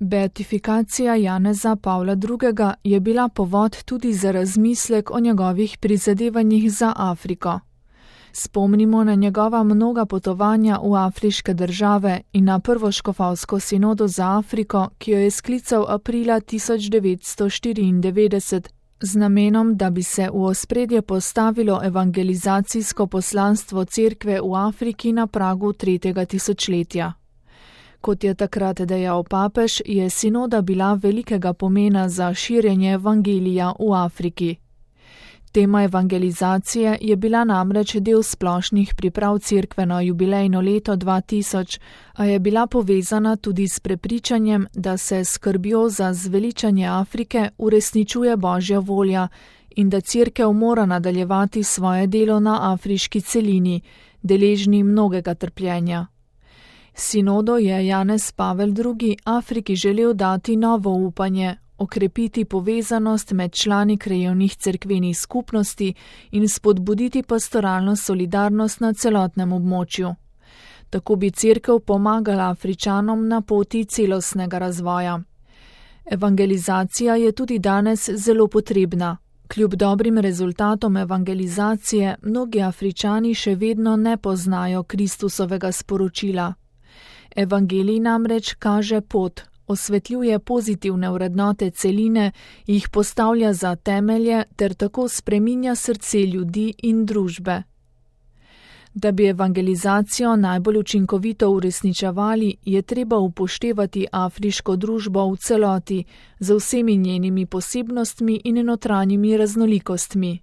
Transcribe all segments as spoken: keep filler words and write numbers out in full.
Beatifikacija Janeza Pavla drugega. Je bila povod tudi za razmislek o njegovih prizadevanjih za Afriko. Spomnimo na njegova mnoga potovanja v afriške države in na prvo škofovsko sinodo za Afriko, ki jo je sklical aprila tisoč devetsto štiriindevetdeset, z namenom, da bi se v ospredje postavilo evangelizacijsko poslanstvo cerkve v Afriki na pragu tretjega tisočletja. Kot je takrat dejal papež, je sinoda bila velikega pomena za širjenje evangelija v Afriki. Tema evangelizacije je bila namreč del splošnih priprav cerkve na jubilejno leto dva tisoč, a je bila povezana tudi s prepričanjem, da se skrbjo za zveličanje Afrike uresničuje Božja volja in da cerkev mora nadaljevati svoje delo na afriški celini, deležni mnogega trpljenja. Sinodo je Janez Pavel drugi. Afriki želel dati novo upanje, okrepiti povezanost med člani krajevnih cerkvenih skupnosti in spodbuditi pastoralno solidarnost na celotnem območju. Tako bi cerkev pomagala Afričanom na poti celostnega razvoja. Evangelizacija je tudi danes zelo potrebna. Kljub dobrim rezultatom evangelizacije, mnogi Afričani še vedno ne poznajo Kristusovega sporočila. Evangelij namreč kaže pot, osvetljuje pozitivne vrednote celine, jih postavlja za temelje ter tako spreminja srce ljudi in družbe. Da bi evangelizacijo najbolj učinkovito uresničevali, je treba upoštevati afriško družbo v celoti, z vsemi njenimi posebnostmi in notranjimi raznolikostmi.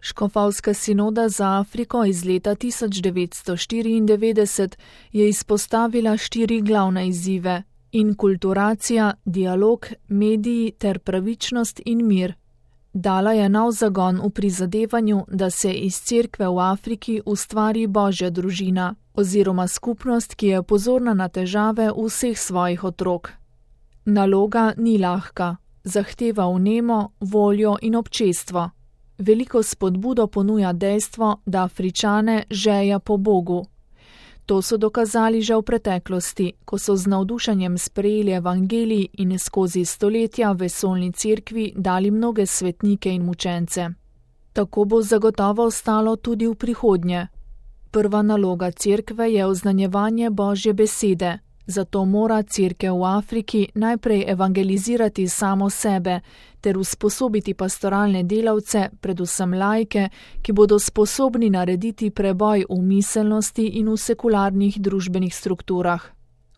Škofovska sinoda za Afriko iz leta tisoč devetsto štiriindevetdeset je izpostavila štiri glavne izzive: inkulturacija, dialog, mediji ter pravičnost in mir. Dala je nov zagon v prizadevanju, da se iz cerkve v Afriki ustvari Božja družina oziroma skupnost, ki je pozorna na težave vseh svojih otrok. Naloga ni lahka, zahteva vnemo, voljo in občestvo. Veliko spodbudo ponuja dejstvo, da Afričane žeja po Bogu. To so dokazali že v preteklosti, ko so z navdušenjem sprejeli evangelij in skozi stoletja vesoljni cerkvi dali mnoge svetnike in mučence. Tako bo zagotovo ostalo tudi v prihodnje. Prva naloga cerkve je oznanjevanje Božje besede, zato mora cerkev v Afriki najprej evangelizirati samo sebe ter usposobiti pastoralne delavce, predvsem laike, ki bodo sposobni narediti preboj v miselnosti in v sekularnih družbenih strukturah.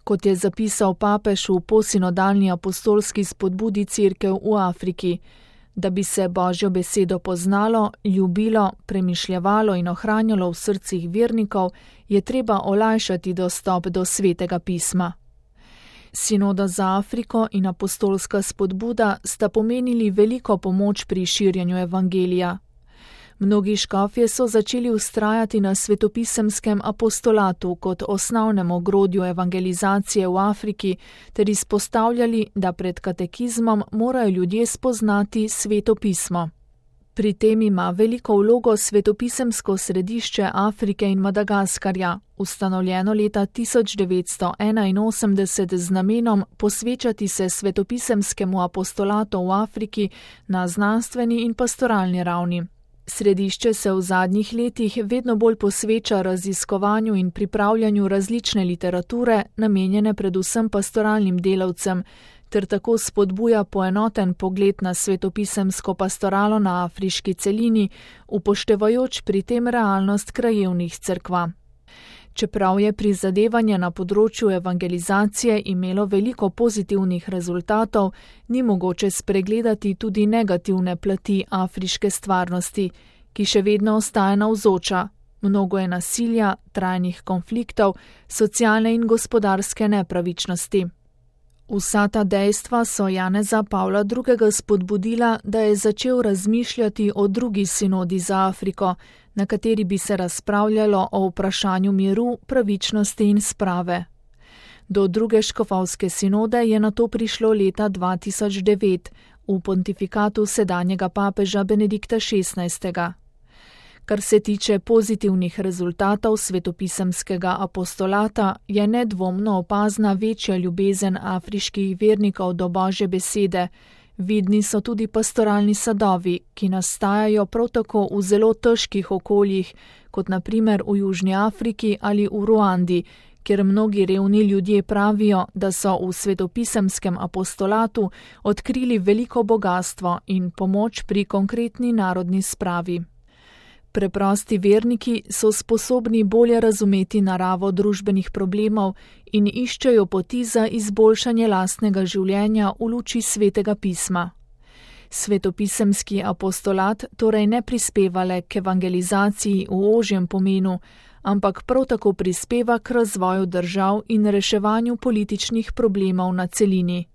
Kot je zapisal papež v posinodalni apostolski spodbudi cerkev v Afriki, da bi se Božjo besedo poznalo, ljubilo, premišljevalo in ohranjalo v srcih vernikov, je treba olajšati dostop do svetega pisma. Sinoda za Afriko in apostolska spodbuda sta pomenili veliko pomoč pri širjenju evangelija. Mnogi škofje so začeli vztrajati na svetopisemskem apostolatu kot osnovnem ogrodju evangelizacije v Afriki ter izpostavljali, da pred katekizmom morajo ljudje spoznati Sveto pismo. Pri tem ima veliko vlogo svetopisemsko središče Afrike in Madagaskarja, ustanovljeno leta tisoč devetsto enainosemdeset z namenom posvečati se svetopisemskemu apostolatu v Afriki na znanstveni in pastoralni ravni. Središče se v zadnjih letih vedno bolj posveča raziskovanju in pripravljanju različne literature, namenjene predvsem pastoralnim delavcem, ter tako spodbuja poenoten pogled na svetopisemsko pastoralo na afriški celini, upoštevajoč pri tem realnost krajevnih cerkva. Čeprav je prizadevanje na področju evangelizacije imelo veliko pozitivnih rezultatov, ni mogoče spregledati tudi negativne plati afriške stvarnosti, ki še vedno ostaja navzoča. Mnogo je nasilja, trajnih konfliktov, socialne in gospodarske nepravičnosti. Vsa ta dejstva so Janeza Pavla drugega spodbudila, da je začel razmišljati o drugi sinodi za Afriko, na kateri bi se razpravljalo o vprašanju miru, pravičnosti in sprave. Do druge škofovske sinode je nato prišlo leta dva tisoč devet v pontifikatu sedanjega papeža Benedikta šestnajstega. Kar se tiče pozitivnih rezultatov svetopisemskega apostolata, je nedvomno opazna večja ljubezen afriških vernikov do Božje besede. Vidni so tudi pastoralni sadovi, ki nastajajo prav tako v zelo težkih okoljih, kot na primer v Južni Afriki ali v Ruandi, kjer mnogi revni ljudje pravijo, da so v svetopisemskem apostolatu odkrili veliko bogastvo in pomoč pri konkretni narodni spravi. Preprosti verniki so sposobni bolje razumeti naravo družbenih problemov in iščejo poti za izboljšanje lastnega življenja v luči svetega pisma. Svetopisemski apostolat torej ne prispeva le k evangelizaciji v ožjem pomenu, ampak prav tako prispeva k razvoju držav in reševanju političnih problemov na celini.